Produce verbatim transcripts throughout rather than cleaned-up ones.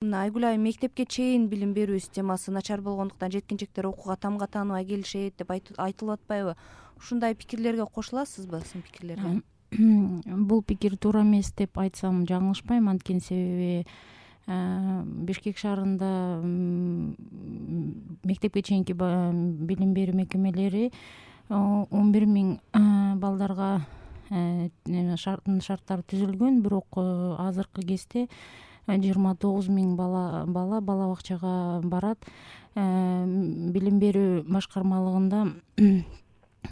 Мына Айгүл айым, мектепке чейин билим берүү системасы начар болгондуктан жеткинчектер окууга тамга тааныбай келишет деп айтылып атпайбы? Ушундай пикирлерге кошуласызбы, сиздин пикирлерге? Бул пикир туура эмес деп айтсам жаңылышпайм, анткени себеби Бишкек шаарында мектепке чейинки билим берүү мекемелери он бир миң балдарга шарттары түзүлгөн, бирок азыркы кезде жыйырма тогуз миң бала бала бала бакчага барат. Билим берүү башкармалыгында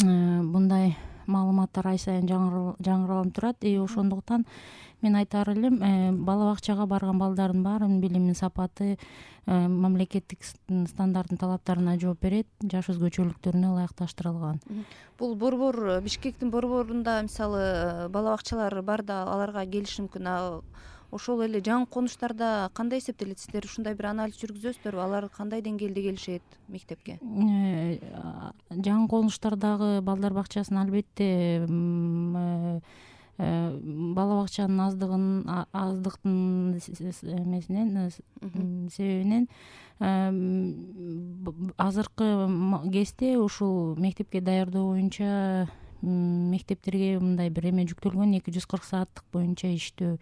мындай маалыматтар ай сайын жаңыралып турат. И ошондуктан мен айтаар элем, бала бакчага барган балдардын баарынын билиминин сапаты мамлекеттик стандарттын талаптарына жооп берет, жаш өзгөчөлүктөрүнө ылайыкташтырылган. Бул борбор, Бишкектин борборунда мисалы бала бакчалар бар да, аларга келиши мүмкүн. Ошол эле жаңы конуштарда кандай эсептелет? Сиздер ушундай бир анализ жүргүзөсүздөрбү? Алар кандай деңгээлде келишет мектепке? Жаңы конуштардагы балдар бакчасын албетте бала бакчанын аздыгын аздыктын эмесинен себебинен азыркы кезде ушул мектепке даярдоо боюнча мектептерге мындай бир эме жүктөлгөн, эки жүз кырк сааттык боюнча иштөө.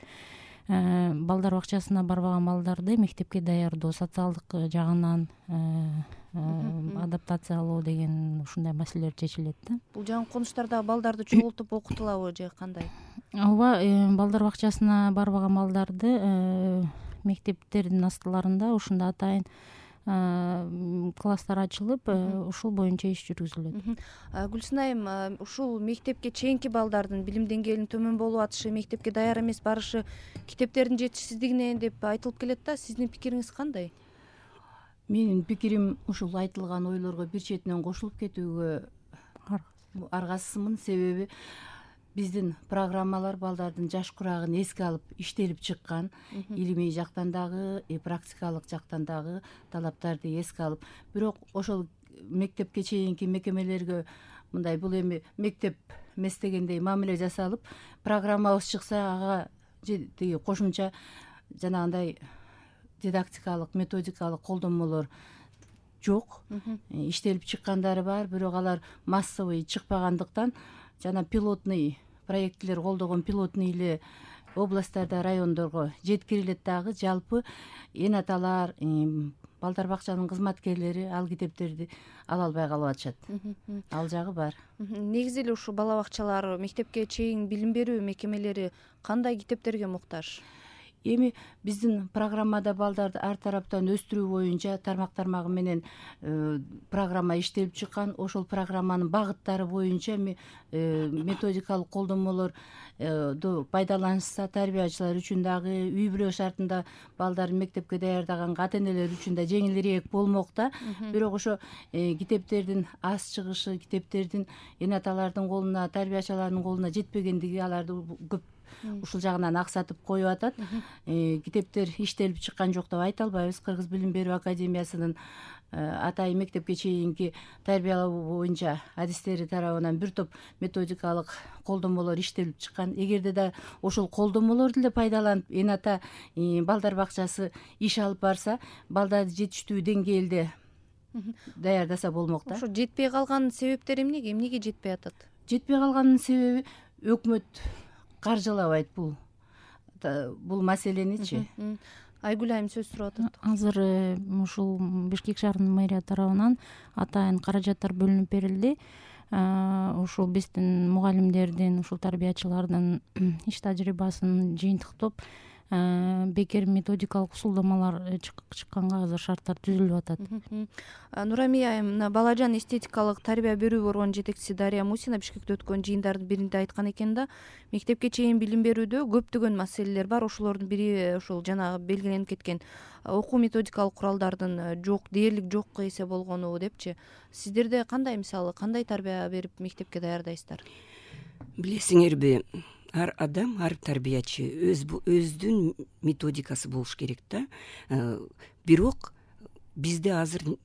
Балдар бакчасына барбаган балдарды мектепке даярдоо, социалдык жагынан адаптациялоо деген ушундай маселелер чечилет да. Бул жаңы конуштардагы балдарды чогултуп окутулабы же кандай? Ооба, балдар бакчасына барбаган балдарды мектептердин астыларында ушундай атайын класстар ачылып, ушул боюнча иш жүргүзүлөт. Гүлсүн айым, ушул мектепке чейинки балдардын билим деңгээлинин төмөн болуп атышы, мектепке даяр эмес барышы китептердин жетишсиздигинен деп айтылып келет да. Сиздин пикириңиз кандай? Менин пикирим ушул айтылган ойлорго бир четинен кошулуп кетүүгө аргасызмын. Себеби биздин программалар балдардын жаш курагын эске алып иштелип чыккан, илимий жактан дагы, практикалык жактан дагы талаптарды эске алып, бирок ошол мектепке чейинки мекемелерге мындай бул эми мектеп эмес дегендей мамиле жасалып, программабыз чыкса ага тиги кошумча жанагындай дидактикалык, методикалык колдонмолор жок. Иштелип чыккандары бар, бирок алар массовый чыкпагандыктан жана пилотный проекттер колдогон пилотный эле областтарда, райондорго жеткирилет дагы. Жалпы энаталар, балдар бакчанын кызматкерлери ал китептерди ала албай калып атышат. Ал жагы бар. Негизи эле ушу бала бакчалар, мектепке чейин билим берүү мекемелери кандай китептерге муктаж? Эми биздин программада балдарды ар тараптан өстүрүү боюнча тармак тармагы менен программа иштелип чыккан. Ошол программанын багыттары боюнча методикалык колдонмолор пайдаланышса, тарбиячылар үчүн дагы, үй бүлө шартында балдарды мектепке даярдаган ата энелер үчүн да жеңилирээк болмок да. Бирок ошо китептердин аз чыгышы, китептердин энаталардын колуна, тарбиячылардын колуна жетпегендиги аларды көп ушул жагынан аксатып коюп атат. Китептер иштелип чыккан жок деп айта албайбыз. Кыргыз билим берүү академиясынын атайын мектепке чейинки тарбиялоо боюнча адистери тарабынан бир топ методикалык колдонмолор иштелип чыккан. Эгерде да ошол колдонмолорду эле пайдаланып эната балдар бакчасы иш алып барса, балдарды жетиштүү деңгээлде даярдаса болмок да. Ошо жетпей калган себептери эмнеге? Эмнеге жетпей атат? Жетпей калганын себеби өкмөт каржылабайт бул бул маселеничи. Айгүл айым сөз сурап атат. Азыр ушул Бишкек шаарынын мэрия тарабынан атайын каражаттар бөлүнүп берилди. Ушул биздин мугалимдердин, ушул тарбиячылардын иш тажрыйбасын жыйынтыктап, бекер методикалык усулдамалар чыкканга азыр шарттар түзүлүп атат. Нурамия айым, мына балажан эстетикалык тарбия берүү борборунун жетекчиси Дарья Мусина Бишкекте өткөн жыйындардын биринде айткан экен да, мектепке чейин билим берүүдө көптөгөн маселелер бар. Ошолордун бири ушул жанагы белгиленип кеткен окуу методикалык куралдардын жок, дээрлик жок эсе болгону депчи. Сиздерде кандай, мисалы, кандай тарбия берип мектепке даярдайсыздар? Билесиңерби, ар адам, ар тарбиячы өз өздүн методикасы болуш керек да. Бирок бизде азыр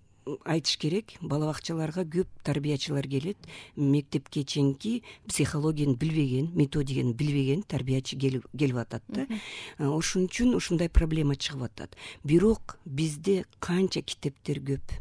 айтыш керек, бала бакчаларга көп тарбиячылар келет, мектепке чейинки психологияны билбеген, методиканы билбеген тарбиячы келип атат да. Ошон үчүн ушундай проблема чыгып атат. Бирок бизде канча китептер көп.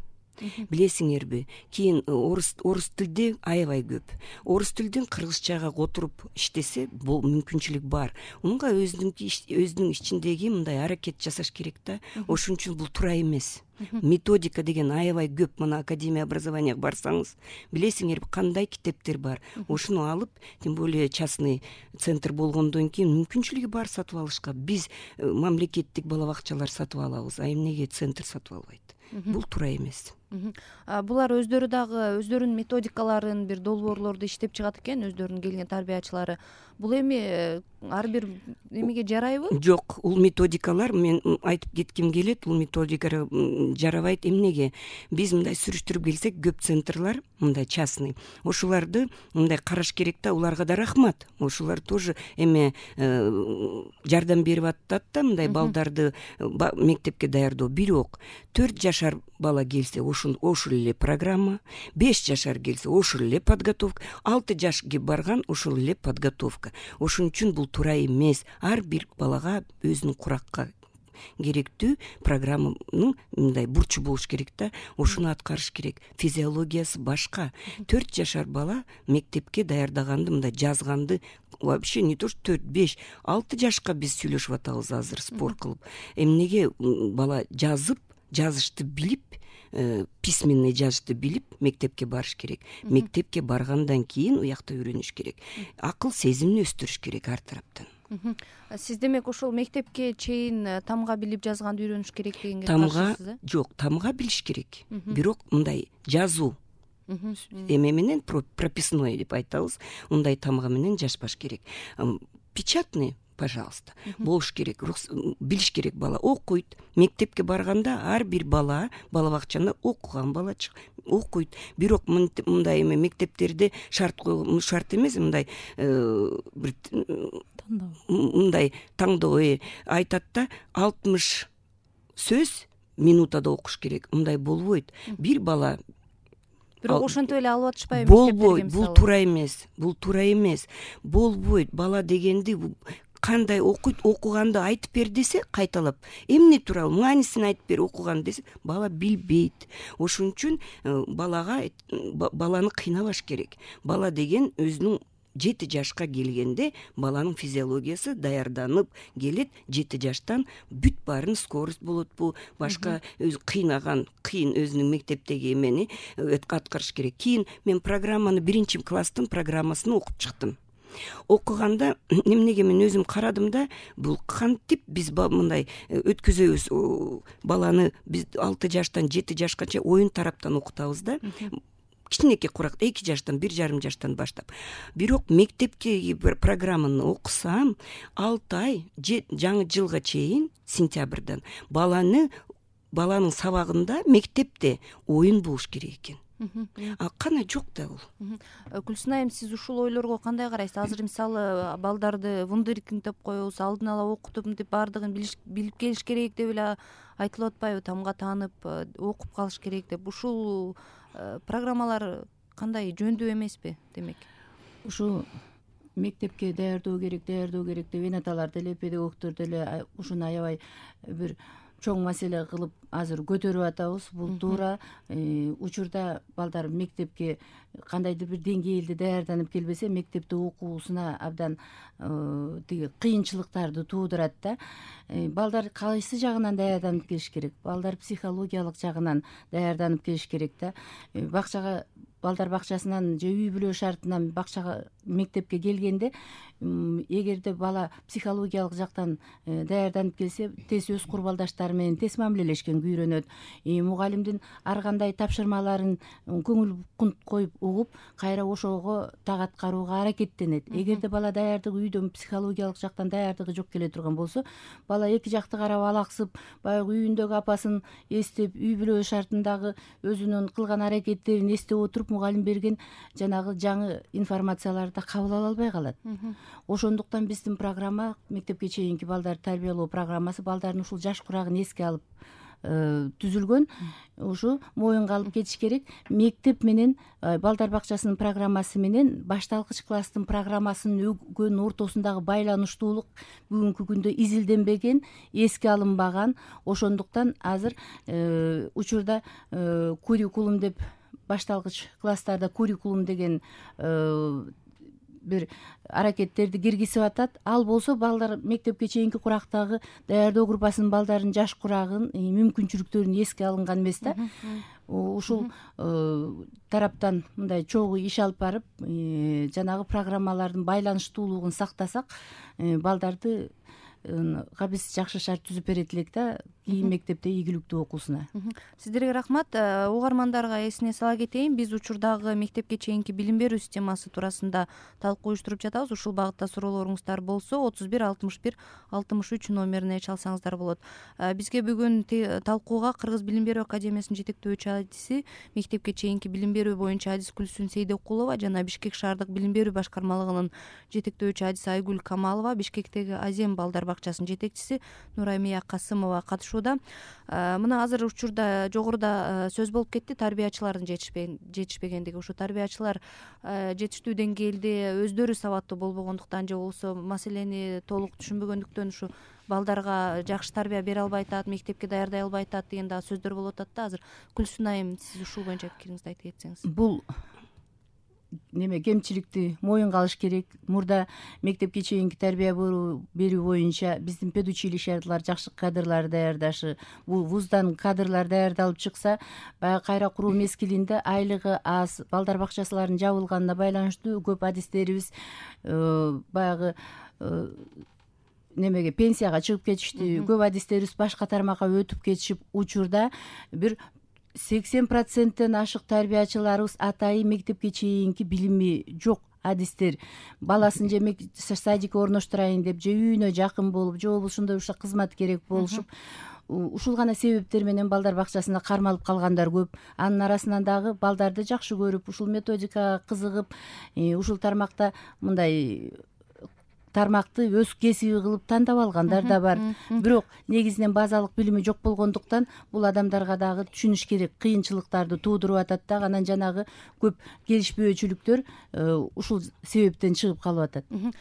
Билесиңерби, кийин орус орус тилде аябай көп. Орус тилден кыргызчага отуруп иштесе, бул мүмкүнчүлүк бар. Унга өзүнүн өзүнүн ичиндеги мындай аракет жасаш керек да. Ошон үчүн бул туура эмес. Методика деген аябай көп. Мына академия образования барсаңыз, билесиңерби, кандай китептер бар. Ошону алып, тем более частный центр болгондон кийин мүмкүнчүлүгү бар сатып алышка. Биз мамлекеттик бала бакчалар сатып алабыз, а эмнеге центр сатып албайт? Бул туура эмес. Булар өздөрү дагы өздөрүнүн методикаларын, бир долбоорлорду иштеп чыгат экен, өздөрүнүн келген тарбиячылары. Бул эми ар бир эмеге жарайбы? Жок, бул методикалар, мен айтып кетким келет, бул методикалар жарабайт. Эмнеге? Биз мындай сүрүштүрүп келсек, көп центрлар, мындай частный, ошоларды мындай караш керек да, уларга да рахмат. Ошолар тоже эме жардам берип атат да, мындай балдарды мектепке даярдоо. Бирок төрт жашар бала келсе, ошол эле программа, беш жашар келсе, ошол эле подготовка, алты жашка барган ошол эле подготовка. Ошон үчүн бул туура эмес. Ар бир балага өзүнүн куракка керектүү программанын мындай бурчу болуш керек да. Ошону аткарыш керек. Физиологиясы башка. төрт жашар бала мектепке даярдаганды, мындай жазганды вообще не то что төрт, беш, алты жашка биз сүйлөшүп атабыз азыр спор кылып. Эмнеге бала жазып, жазышты билип, письменный жазышты билип мектепке барыш керек. Мектепке баргандан кийин уякта үйрөнүш керек. Акыл сезимин өстүрүш керек ар тараптан. Сиз демек ошол мектепке чейин тамга билип жазганды үйрөнүш керек дегенге каршысыз? Тамга Жок, тамга билиш керек. Бирок мындай жазуу эме менен прописной деп айтабыз, мындай тамга менен жазбаш керек. Печатный, пожалуйста, болуш керек, билиш керек. Бала окуйт. Мектепке барганда ар бир бала бала бакчаны окуган бала окуйт. Бирок мындай эме мектептерде шарт койгон, шарт эмес, мындай бир мындай таңдоо айтат да, алтымыш сөз минутада окуш керек. Мындай болбойт. Бир бала бирок ошентип эле алып атышпайбы? Болбойт. Бул туура эмес. Бул туура эмес. Болбойт. Бала дегенди кандай окуйт, окуганды айтып бер десе, кайталап, эмне тууралуу, маанисин айтып бер, окуган десе, бала билбейт. Ошон үчүн балага баланы кыйнабаш керек. Бала деген өзүнүн жети жашка келгенде баланын физиологиясы даярданып келет. Жети жаштан бүт баарын скорость болотпу, башка өз кыйнаган, кыйын өзүнүн мектептеги эмени аткарыш керек. Кийин мен программаны биринчи класстын программасын окуп чыктым. Окуганда эмнеге мен өзүм карадым да, бул кантип биз мындай өткөзөбүз баланы, биз алты жаштан жети жашкача оюн тараптан окутабыз да. Кичинекей курак, эки жаштан, бир жарым жаштан баштап. Бирок мектепке программаны окусам, алты ай жаңы жылга чейин, сентябрдан баланы баланын сабагында мектепте оюн болуш керек экен. А кана жок да бул. Гүлсүн айым, сиз ушул ойлорго кандай карайсыз? Азыр мисалы балдарды вундеркиндеп коебуз, алдын ала окутуп деп баардыгын билип келиш керек деп эле айтылып атпайбы? Тамга таанып окуп калыш керек деп. Ушул программалар кандай, жөндүү эмеспи демек? Ушу мектепке даярдоо керек, даярдоо керек деп энаталар деле, педагогдор деле ушуну аябай бир чоң маселе кылып азыр көтөрүп атабыз. Бул туура. Учурда балдар мектепке кандайдыр бир деңгээлде даярданып келбесе, мектепте окуусуна абдан тиги кыйынчылыктарды туудурат да. Балдар кайсы жагынан даярданып келиш керек? Балдар психологиялык жагынан даярданып келиш керек да. Бакчага, балдар бакчасынан же үй бүлө шартынан бакчага, мектепке келгенде, эгерде бала психологиялык жактан даярданып келсе, тез өз курбалдаштары менен тез мамилелешкенге үйрөнөт. Мугалимдин ар кандай тапшырмаларын көңүл коюп угуп, кайра ошого так аткарууга аракеттенет. Эгерде бала даярдыгы үйдөн психологиялык жактан даярдыгы жок келе турган болсо, бала эки жакты карап алаксып, баягы үйүндөгү апасын эстеп, үй бүлө шартындагы өзүнүн кылган аракеттерин эстеп отуруп, мугалим берген жанагы жаңы информацияларды кабыл ала албай калат. Ошондуктан биздин программа, мектепке чейинки балдарды тарбиялоо программасы, балдардын ушул жаш курагын эске алып түзүлгөн. Ушу моюнга алып кетиш керек. Мектеп менен балдар бакчасынын программасы менен башталгыч класстын программасынын өгөн ортосундагы байланыштуулук бүгүнкү күндө изилденбеген, эске алынбаган. Ошондуктан азыр учурда куррикулум деп башталгыч класстарда куррикулум деген бир аракеттерди киргизип атат. Ал болсо балдар мектепке чейинки курактагы даярдоо группасынын балдарынын жаш курагын, мүмкүнчүлүктөрүн эске алынган эмес да. Ушул тараптан мындай чогуу иш алып барып, жанагы программалардын байланыштуулугун сактасак, балдарды биз жакшы шарт түзүп берет элек да, кийин мектепте ийгиликтүү окуусуна. Сиздерге рахмат. Угармандарга эсине сала кетейин, биз учурдагы мектепке чейинки билим берүү системасы туурасында талкуу уюштуруп жатабыз. Ушул багытта суроолоруңуздар болсо отуз бир алтымыш бир алтымыш үч номерине чалсаңыздар болот. Бизге бүгүн талкууга Кыргыз билим берүү академиясынын жетектөөчү адиси, мектепке чейинки билим берүү боюнча адис Гүлсүн Сейдекулова жана Бишкек шаардык билим берүү башкармалыгынын жетектөөчү адиси Айгүл Камалова, Бишкектеги Азем балдар бакчасынын жетекчиси Нурамия Касымова катышууда. Мына азыр учурда жогоруда сөз болуп кетти, тарбиячылардын жетишпегендиги. Ушу тарбиячылар жетиштүү деңгээлде өздөрү сабаттуу болбогондуктан же болбосо маселени толук түшүнбөгөндүктөн ушу балдарга жакшы тарбия бере албай атат, мектепке даярдай албай атат деген дагы сөздөр болуп атат да. Азыр Гүлсүн айым, сиз ушул боюнча пикириңизди айтып кетсеңиз. Бул неме кемчиликти моюнга алыш керек. Мурда мектепке чейинки тарбия берүү боюнча биздин педучилищалар жакшы кадрлар даярдашы, бул вуздан кадрлар даярдалып чыкса, баягы кайра куруу мезгилинде айлыгы аз, балдар бакчаларынын жабылганына байланыштуу көп адистерибиз баягы немеге пенсияга чыгып кетишти. Көп адистерибиз башка тармакка өтүп кетишип, учурда бир сексен проценттен ашык тарбиячыларыбыз атайын мектепке чейинки билими жок адистер. Баласын же садикке орноштурайын деп, же үйүнө жакын болуп, же болбосо ушундай ушул кызмат керек болушуп, ушул гана себептер менен балдар бакчасында кармалып калгандар көп. Анын арасынан дагы балдарды жакшы көрүп, ушул методикага кызыгып, ушул тармакта мындай тармакты өз кесиби кылып тандап алгандар да бар. Бирок негизинен базалык билими жок болгондуктан бул адамдарга дагы түшүнүш керек, кыйынчылыктарды туудуруп атат да. Анан жанагы көп келишпөөчүлүктөр ушул себептен чыгып калып атат.